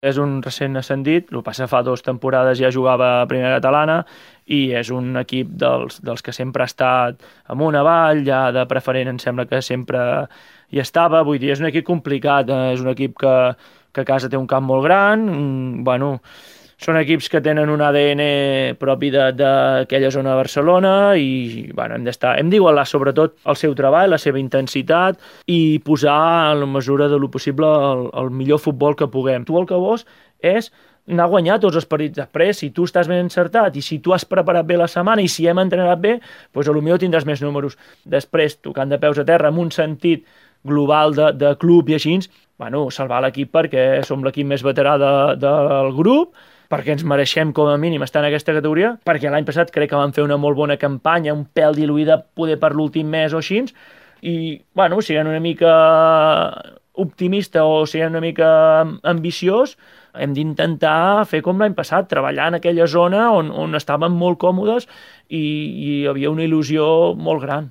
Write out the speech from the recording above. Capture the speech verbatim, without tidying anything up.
És un recent ascendit, el que passa fa dues temporades ja jugava a primera catalana i és un equip dels, dels que sempre ha estat amunt avall, ja de preferent em sembla que sempre hi estava, vull dir, és un equip complicat, eh? És un equip que, que a casa té un camp molt gran, mm, bueno, són equips que tenen un A D N propi de- d'aquella zona de Barcelona i bueno, hem d'estar, hem d'igualar sobretot el seu treball, la seva intensitat i posar en la mesura de lo possible el, el millor futbol que puguem. Tu el que vols és anar a guanyar tots els partits després, si tu estàs ben encertat i si tu has preparat bé la setmana i si hem entrenat bé, doncs a lo millor tindràs més números. Després, tocant de peus a terra, amb un sentit global de, de club i així, bueno, salvar l'equip perquè som l'equip més veterà de, del grup, perquè ens mereixem com a mínim estar en aquesta categoria, perquè l'any passat crec que vam fer una molt bona campanya, un pèl diluïda poder per l'últim mes o així, i, bueno, siguent una mica optimista o siguent una mica ambiciós, hem d'intentar fer com l'any passat, treballar en aquella zona on, on estàvem molt còmodes i, i hi havia una il·lusió molt gran.